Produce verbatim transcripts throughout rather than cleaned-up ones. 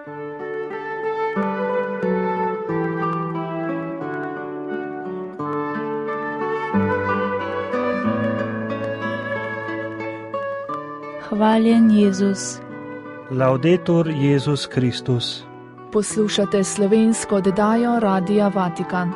Hvaljen Jezus. Laudetur Jezus Kristus. Poslušate slovensko oddajo Radia Vatikan.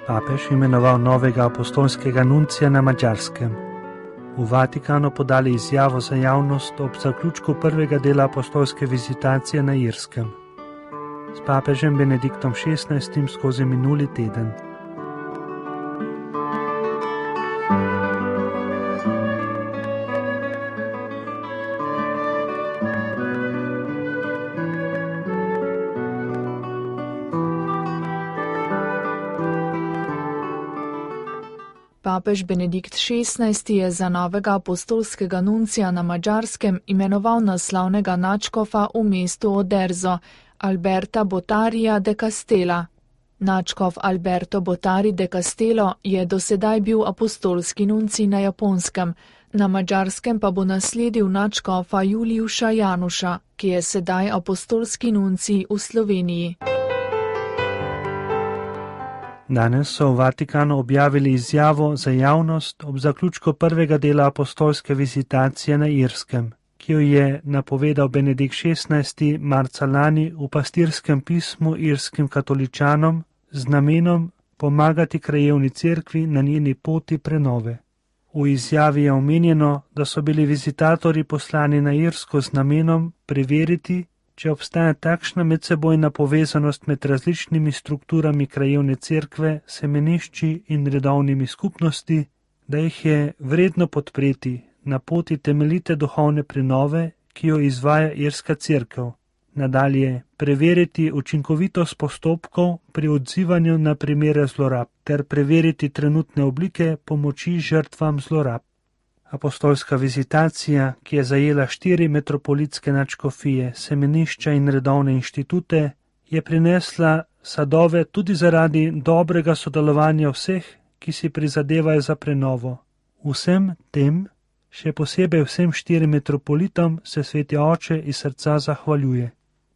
Papež imenoval novega apostolskega nuncija na Madžarskem. V Vatikanu podali izjavo za javnost ob zaključku prvega dela apostolske vizitacije na Irskem. S papežem Benediktom šestnajstim skozi minuli teden. Papež Benedikt šestnajsti je za novega apostolskega nuncija na Madžarskem imenoval naslavnega nadškofa v mestu Oderzo, Alberta Botarija de Castella. Nadškof Alberto Botari de Castello je dosedaj bil apostolski nuncij na Japonskem, na Madžarskem pa bo nasledil nadškofa Juliuša Januša, ki je sedaj apostolski nuncij v Sloveniji. Danes so v Vatikanu objavili izjavo za javnost ob zaključku prvega dela apostolske vizitacije na Irskem, ki jo je napovedal Benedikt šestnajsti marca lani v pastirskem pismu irskim katoličanom z namenom pomagati krajevni cerkvi na njeni poti prenove. V izjavi je omenjeno, da so bili vizitatorji poslani na Irsko z namenom preveriti, če obstaja takšna medsebojna povezanost med različnimi strukturami krajevne cerkve, semenišči in redovnimi skupnosti, da jih je vredno podpreti na poti temeljite duhovne prenove, ki jo izvaja irska cerkev. Nadalje, preveriti učinkovitost postopkov pri odzivanju na primere zlorab ter preveriti trenutne oblike pomoči žrtvam zlorab. Apostolska vizitacija, ki je zajela štiri metropolitske nadškofije, semenišča in redovne inštitute, je prinesla sadove tudi zaradi dobrega sodelovanja vseh, ki si prizadevajo za prenovo. Vsem tem, še posebej vsem štirim metropolitom, se Sveti Oče iz srca zahvaljuje.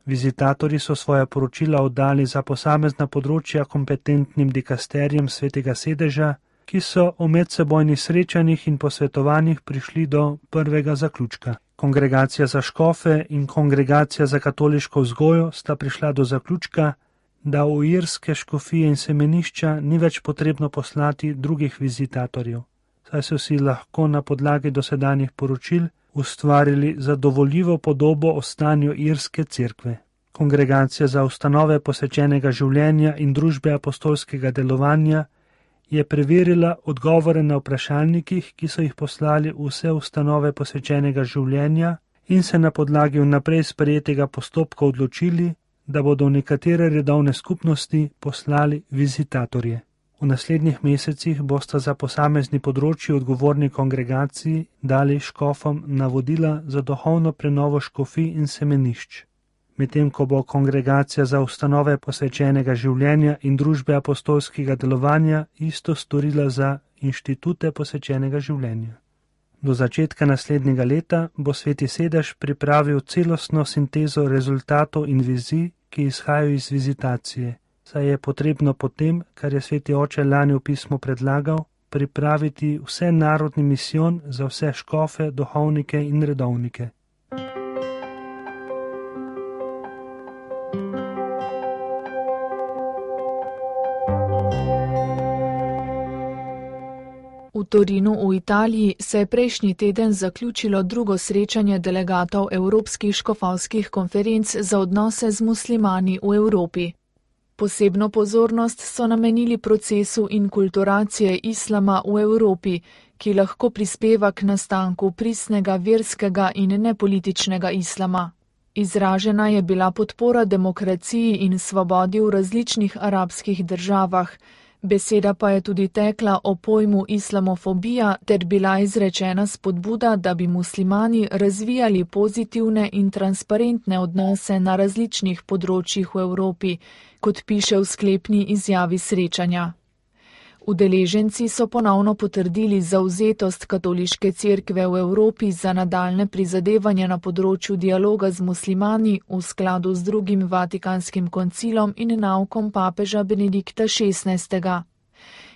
Vizitatorji so svoja poročila oddali za posamezna področja kompetentnim dikasterijem Svetega sedeža, ki so v medsebojnih srečanjih in posvetovanjih prišli do prvega zaključka. Kongregacija za škofe in Kongregacija za katoliško vzgojo sta prišla do zaključka, da v irske škofije in semenišča ni več potrebno poslati drugih vizitatorjev, saj so si lahko na podlagi dosedanjih poročil ustvarili zadovoljivo podobo o stanju irske cerkve. Kongregacija za ustanove posvečenega življenja in družbe apostolskega delovanja je preverila odgovore na vprašalnikih, ki so jih poslali vse ustanove posvečenega življenja in se na podlagi vnaprej sprejetega postopka odločili, da bodo v nekatere redovne skupnosti poslali vizitatorje. V naslednjih mesecih bosta za posamezni področji odgovorni kongregaciji dali škofom navodila za duhovno prenovo škofij in semenišč. Medtem ko bo Kongregacija za ustanove posvečenega življenja in družbe apostolskega delovanja isto storila za inštitute posvečenega življenja. Do začetka naslednjega leta bo Sveti sedež pripravil celostno sintezo rezultatov in vizij, ki izhajajo iz vizitacije, saj je potrebno potem, kar je Sveti Oče lani v pismu predlagal, pripraviti vse narodni misijon za vse škofe, duhovnike in redovnike. V Torinu v Italiji se je prejšnji teden zaključilo drugo srečanje delegatov Evropskih škofovskih konferenc za odnose z muslimani v Evropi. Posebno pozornost so namenili procesu inkulturacije islama v Evropi, ki lahko prispeva k nastanku pristnega verskega in nepolitičnega islama. Izražena je bila podpora demokraciji in svobodi v različnih arabskih državah, Beseda pa je tudi tekla o pojmu islamofobija ter bila izrečena spodbuda, da bi muslimani razvijali pozitivne in transparentne odnose na različnih področjih v Evropi, kot piše v sklepni izjavi srečanja. Udeleženci so ponovno potrdili zavzetost katoliške cerkve v Evropi za nadaljne prizadevanje na področju dialoga z muslimani v skladu z drugim Vatikanskim koncilom in naukom papeža Benedikta šestnajstega.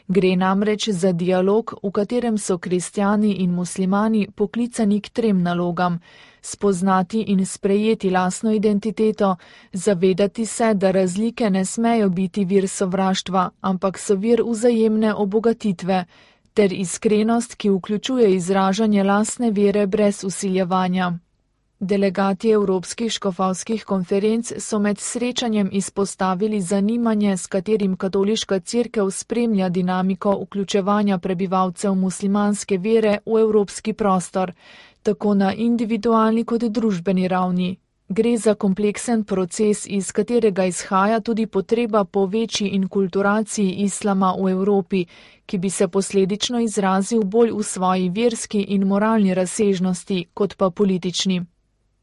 Gre namreč za dialog, v katerem so kristjani in muslimani poklicani k trem nalogam: spoznati in sprejeti lastno identiteto, zavedati se, da razlike ne smejo biti vir sovraštva, ampak so vir vzajemne obogatitve, ter iskrenost, ki vključuje izražanje lastne vere brez vsiljevanja. Delegati Evropskih škofovskih konferenc so med srečanjem izpostavili zanimanje, s katerim katoliška cerkev spremlja dinamiko vključevanja prebivalcev muslimanske vere v evropski prostor, tako na individualni kot družbeni ravni. Gre za kompleksen proces, iz katerega izhaja tudi potreba po večji inkulturaciji islama v Evropi, ki bi se posledično izrazil bolj v svoji verski in moralni razsežnosti, kot pa politični.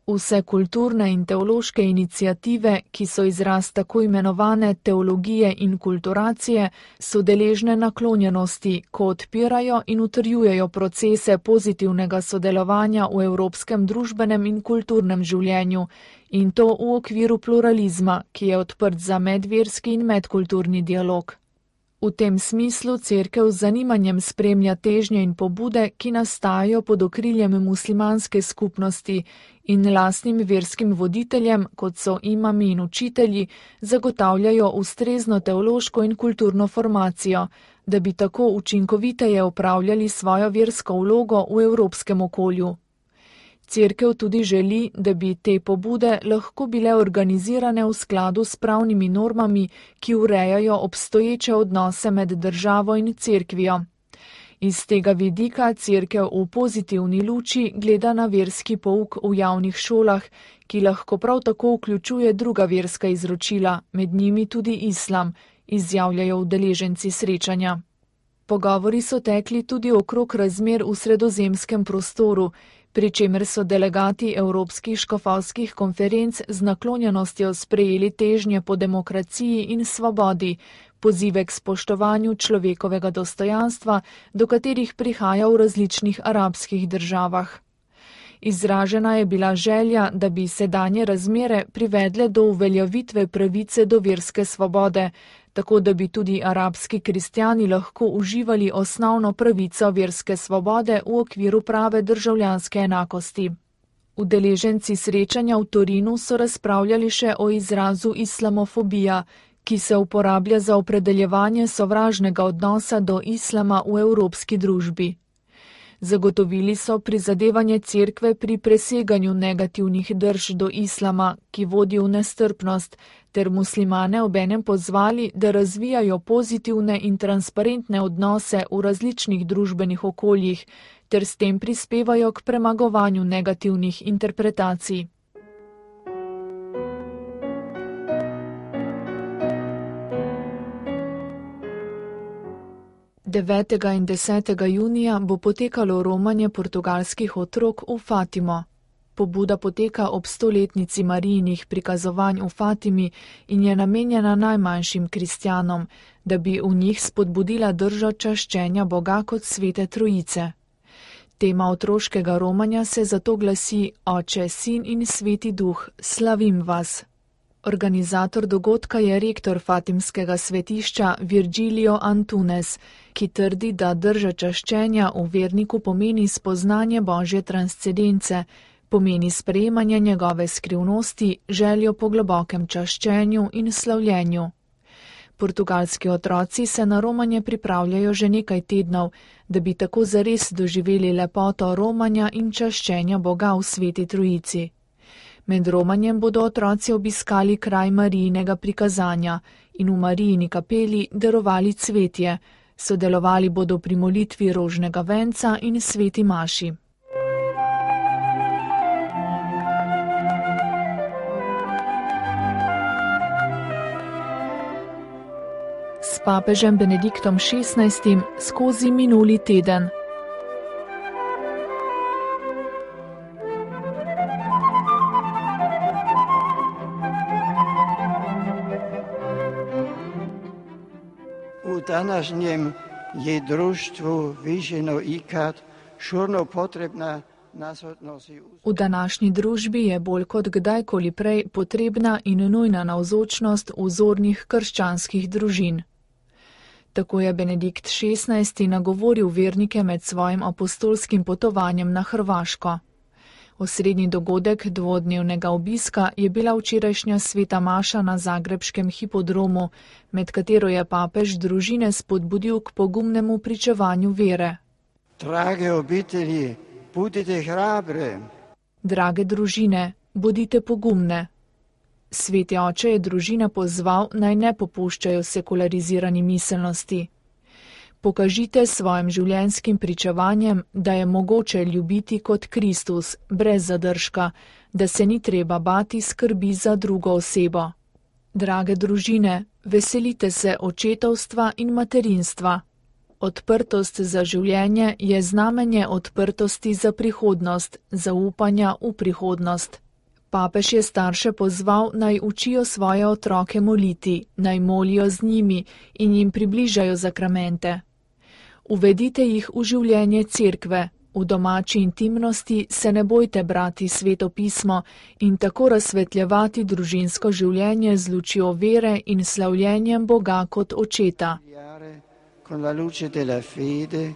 Vse kulturne in teološke iniciative, ki so izraz tako imenovane teologije in kulturacije, so deležne naklonjenosti, ko odpirajo in utrjujejo procese pozitivnega sodelovanja v evropskem družbenem in kulturnem življenju, in to v okviru pluralizma, ki je odprt za medverski in medkulturni dialog. V tem smislu cerkev z zanimanjem spremlja težnje in pobude, ki nastajajo pod okriljem muslimanske skupnosti in lastnim verskim voditeljem, kot so imami in učitelji, zagotavljajo ustrezno teološko in kulturno formacijo, da bi tako učinkoviteje opravljali svojo versko vlogo v evropskem okolju. Cerkev tudi želi, da bi te pobude lahko bile organizirane v skladu s pravnimi normami, ki urejajo obstoječe odnose med državo in cerkvijo. Iz tega vidika cerkev v pozitivni luči gleda na verski pouk v javnih šolah, ki lahko prav tako vključuje druga verska izročila, med njimi tudi islam, izjavljajo udeleženci srečanja. Pogovori so tekli tudi okrog razmer v sredozemskem prostoru, pri čemer so delegati Evropskih škofovskih konferenc z naklonjenostjo sprejeli težnje po demokraciji in svobodi, pozive k spoštovanju človekovega dostojanstva, do katerih prihaja v različnih arabskih državah. Izražena je bila želja, da bi sedanje razmere privedle do uveljavitve pravice do verske svobode, tako da bi tudi arabski kristjani lahko uživali osnovno pravico verske svobode v okviru prave državljanske enakosti. Udeleženci srečanja v Torinu so razpravljali še o izrazu islamofobija, ki se uporablja za opredeljevanje sovražnega odnosa do islama v evropski družbi. Zagotovili so prizadevanje cerkve pri preseganju negativnih drž do islama, ki vodi v nestrpnost, ter muslimane obenem pozvali, da razvijajo pozitivne in transparentne odnose v različnih družbenih okoljih, ter s tem prispevajo k premagovanju negativnih interpretacij. devetega in desetega junija bo potekalo romanje portugalskih otrok v Fatimo. Pobuda poteka ob stoletnici Marijinih prikazovanj v Fatimi in je namenjena najmanjšim kristjanom, da bi v njih spodbudila držo čaščenja Boga kot svete trojice. Tema otroškega romanja se zato glasi Oče, Sin in Sveti Duh, slavim vas. Organizator dogodka je rektor fatimskega svetišča Virgilio Antunes, ki trdi, da drža čaščenja v verniku pomeni spoznanje Božje transcendence, pomeni sprejemanje njegove skrivnosti, željo po globokem čaščenju in slavljenju. Portugalski otroci se na romanje pripravljajo že nekaj tednov, da bi tako zares doživeli lepoto romanja in čaščenja Boga v Sveti Trojici. Med romanjem bodo otroci obiskali kraj Marijinega prikazanja in v Marijini kapeli darovali cvetje, sodelovali bodo pri molitvi rožnega venca in sveti maši. s papežem Benediktom šestnajstim skozi minuli teden. U današnjem je društvu viđeno ikad šurno potrebna nasotnost. V današnji družbi je bolj kot kdajkoli prej potrebna in nujna navzočnost vzornih krščanskih družin. Tako je Benedikt šestnajsti nagovoril vernike med svojim apostolskim potovanjem na Hrvaško. Osrednji dogodek dvodnevnega obiska je bila včerajšnja sveta maša na zagrebškem hipodromu, med katero je papež družine spodbudil k pogumnemu pričevanju vere. Drage obitelji, budite hrabre. Drage družine, bodite pogumne. Sveti oče je družine pozval, naj ne popuščajo sekularizirani miselnosti. Pokažite svojim življenjskim pričevanjem, da je mogoče ljubiti kot Kristus, brez zadržka, da se ni treba bati skrbi za drugo osebo. Drage družine, veselite se očetovstva in materinstva. Odprtost za življenje je znamenje odprtosti za prihodnost, zaupanja v prihodnost. Papež je starše pozval, naj učijo svoje otroke moliti, naj molijo z njimi in jim približajo zakramente. Uvedite jih v življenje cerkve, v domači intimnosti se ne bojte brati sveto pismo in tako razsvetljevati družinsko življenje z lučjo vere in slavljenjem Boga kot očeta. Con la luce della fede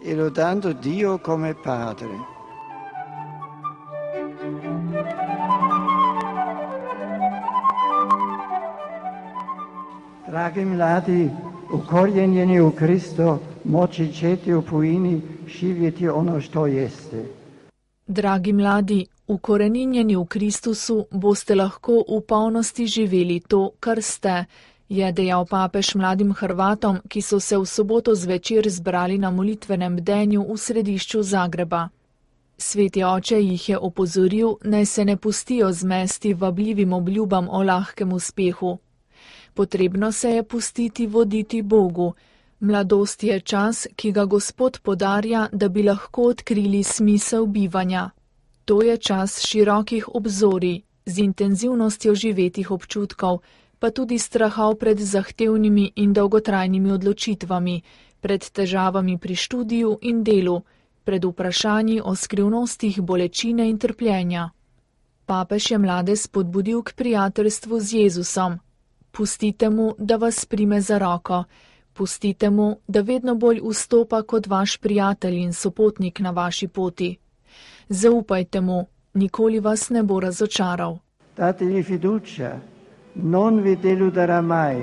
e lodando Dio come Padre. Dragi mladi, ukorjenjeni u Kristo, moći ćete u pojini živjeti ono što jeste. Dragi mladi, ukoreninjeni v Kristusu, boste lahko v polnosti živeli to, kar ste, je dejal papež mladim Hrvatom, ki so se v soboto zvečer zbrali na molitvenem bdenju v središču Zagreba. Sveti oče jih je opozoril, naj se ne pustijo zmesti vabljivim obljubam o lahkem uspehu. Potrebno se je pustiti voditi Bogu. Mladost je čas, ki ga Gospod podarja, da bi lahko odkrili smisel bivanja. To je čas širokih obzorij, z intenzivnostjo živetih občutkov, pa tudi strahov pred zahtevnimi in dolgotrajnimi odločitvami, pred težavami pri študiju in delu, pred vprašanji o skrivnostih bolečine in trpljenja. Papež je mlade spodbudil k prijateljstvu z Jezusom. Pustite mu, da vas prime za roko, pustite mu, da vedno bolj vstopa kot vaš prijatelj in sopotnik na vaši poti. Zaupajte mu, nikoli vas ne bo razočaral. Dategli fiducia. Non vi deluderà mai.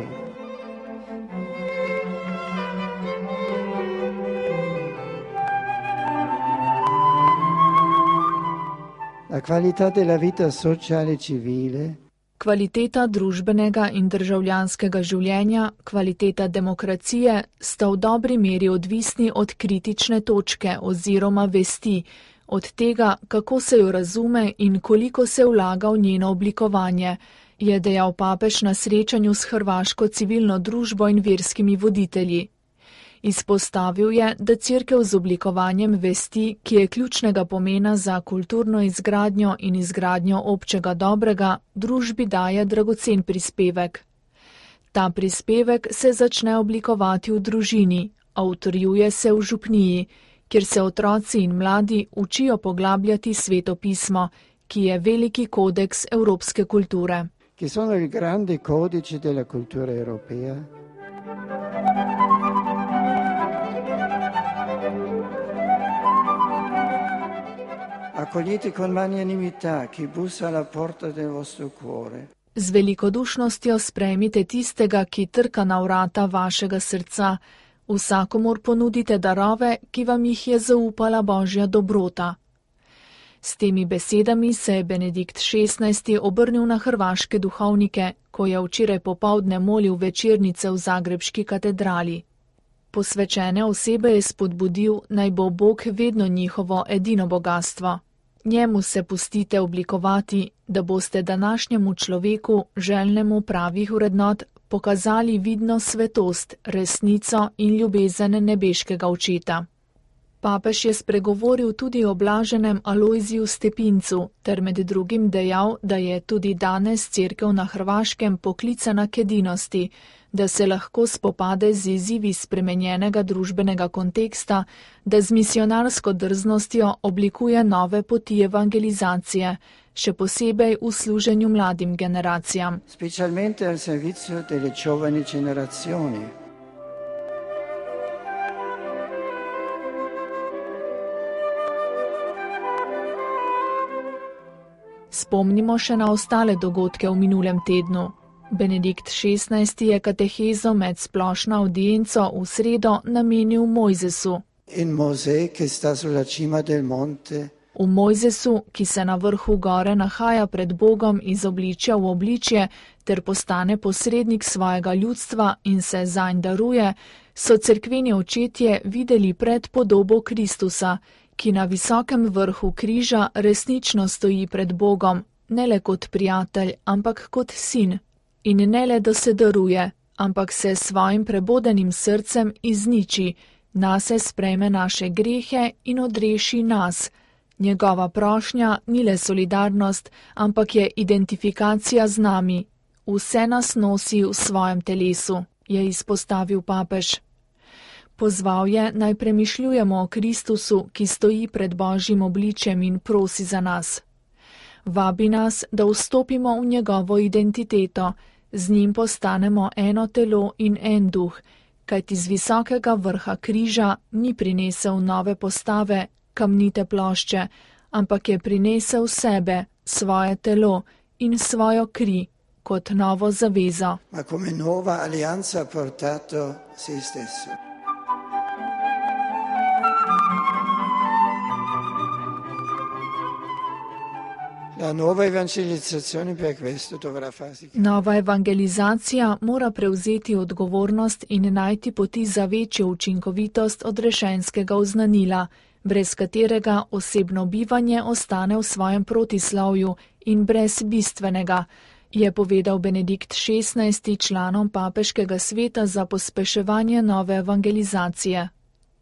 La qualità della vita sociale e civile. Kvaliteta družbenega in državljanskega življenja, kvaliteta demokracije sta v dobri meri odvisni od kritične točke oziroma vesti, od tega, kako se jo razume in koliko se vlaga v njeno oblikovanje, je dejal papež na srečanju s hrvaško civilno družbo in verskimi voditelji. Izpostavil je, da cerkev z oblikovanjem vesti, ki je ključnega pomena za kulturno izgradnjo in izgradnjo občega dobrega, družbi daje dragocen prispevek. Ta prispevek se začne oblikovati v družini, a utrjuje se v župniji, kjer se otroci in mladi učijo poglabljati sveto pismo, ki je veliki kodeks evropske kulture. Che sono il grande codice della cultura europea. Accogliete con magnanimità chi bussa alla porta del vostro cuore. Z velikodušnostjo sprejmite tistega, ki trka na vrata vašega srca. Vsakomur ponudite darove, ki vam jih je zaupala Božja dobrota. S temi besedami se je Benedikt šestnajsti obrnil na hrvaške duhovnike, ko je včeraj popoldne molil večernice v zagrebški katedrali. Posvečene osebe je spodbudil, naj bo Bog vedno njihovo edino bogastvo. Njemu se pustite oblikovati, da boste današnjemu človeku, željnemu pravih vrednot, pokazali vidno svetost, resnico in ljubezen nebeškega očeta. Papež je spregovoril tudi o blaženem Alojziju Stepincu ter med drugim dejal, da je tudi danes cerkev na Hrvaškem poklicana k edinosti, da se lahko spopade z izzivi spremenjenega družbenega konteksta, da z misionarsko drznostjo oblikuje nove poti evangelizacije, še posebej v služenju mladim generacijam. Specialmente al servizio delle giovani generazioni. Spomnimo še na ostale dogodke v minulem tednu. Benedikt šestnajsti je katehezo med splošno audienco v sredo namenil Mojzesu. In Mosè, che sta sulla cima del monte. V Mojzesu, ki se na vrhu gore nahaja pred Bogom iz obličja v obličje ter postane posrednik svojega ljudstva in se zanj daruje, so cerkveni očetje videli predpodobo Kristusa, ki na visokem vrhu križa resnično stoji pred Bogom, ne le kot prijatelj, ampak kot sin. In ne le, da se daruje, ampak se s svojim prebodenim srcem izniči, nase sprejme naše grehe in odreši nas. Njegova prošnja ni le solidarnost, ampak je identifikacija z nami. Vse nas nosi v svojem telesu, je izpostavil papež. Pozval je, naj premišljujemo o Kristusu, ki stoji pred Božjim obličjem in prosi za nas. Vabi nas, da vstopimo v njegovo identiteto, z njim postanemo eno telo in en duh, kajti z visokega vrha križa ni prinesel nove postave, kamnite plošče, ampak je prinesel sebe, svoje telo in svojo kri kot novo zavezo. Ma come nuova alleanza ha portato se stesso. La nuova evangelizzazione per questo dovrà farsi. Nova evangelizacija mora prevzeti odgovornost in najti poti za večjo učinkovitost odrešenskega oznanila, brez katerega osebno bivanje ostane v svojem protislovju in brez bistvenega, je povedal Benedikt šestnajsti članom papeškega sveta za pospeševanje nove evangelizacije.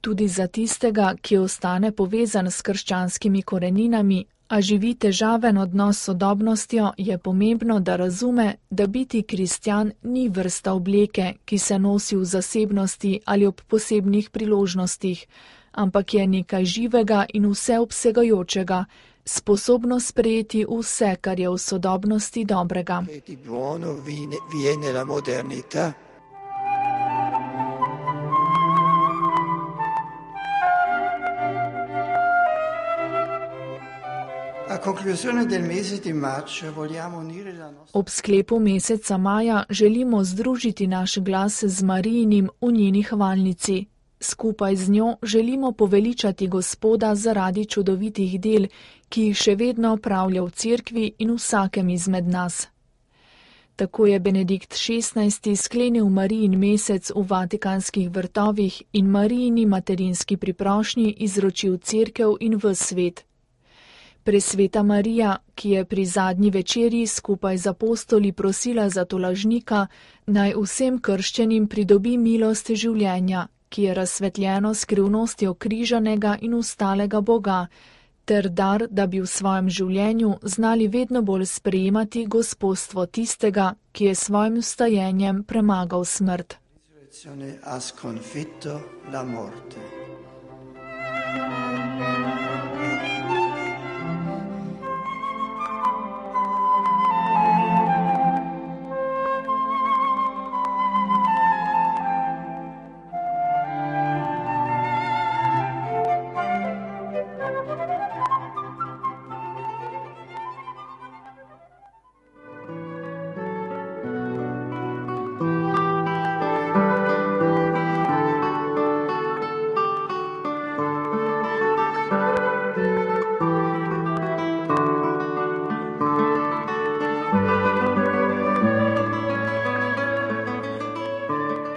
Tudi za tistega, ki ostane povezan s krščanskimi koreninami, a živi težaven odnos s sodobnostjo, je pomembno, da razume, da biti kristjan ni vrsta obleke, ki se nosi v zasebnosti ali ob posebnih priložnostih, ampak je nekaj živega in vseobsegajočega, sposobno sprejeti vse, kar je v sodobnosti dobrega. Ob sklepu meseca maja želimo združiti naš glas z Marijinim v njeni hvalnici. Skupaj z njo želimo poveličati Gospoda zaradi čudovitih del, ki jih še vedno opravlja v cerkvi in vsakem izmed nas. Tako je Benedikt šestnajsti sklenil Marijin mesec v Vatikanskih vrtovih in Marijini materinski priprošnji izročil cerkev in ves svet. Presveta Marija, ki je pri zadnji večerji skupaj z apostoli prosila za tolažnika, naj vsem krščenim pridobi milost življenja, ki je razsvetljeno skrivnostjo križanega in ustalega Boga, ter dar, da bi v svojem življenju znali vedno bolj sprejemati gospodstvo tistega, ki je svojim vstajenjem premagal smrt.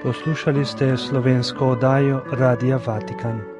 Poslušali ste slovensko oddajo Radia Vatikan.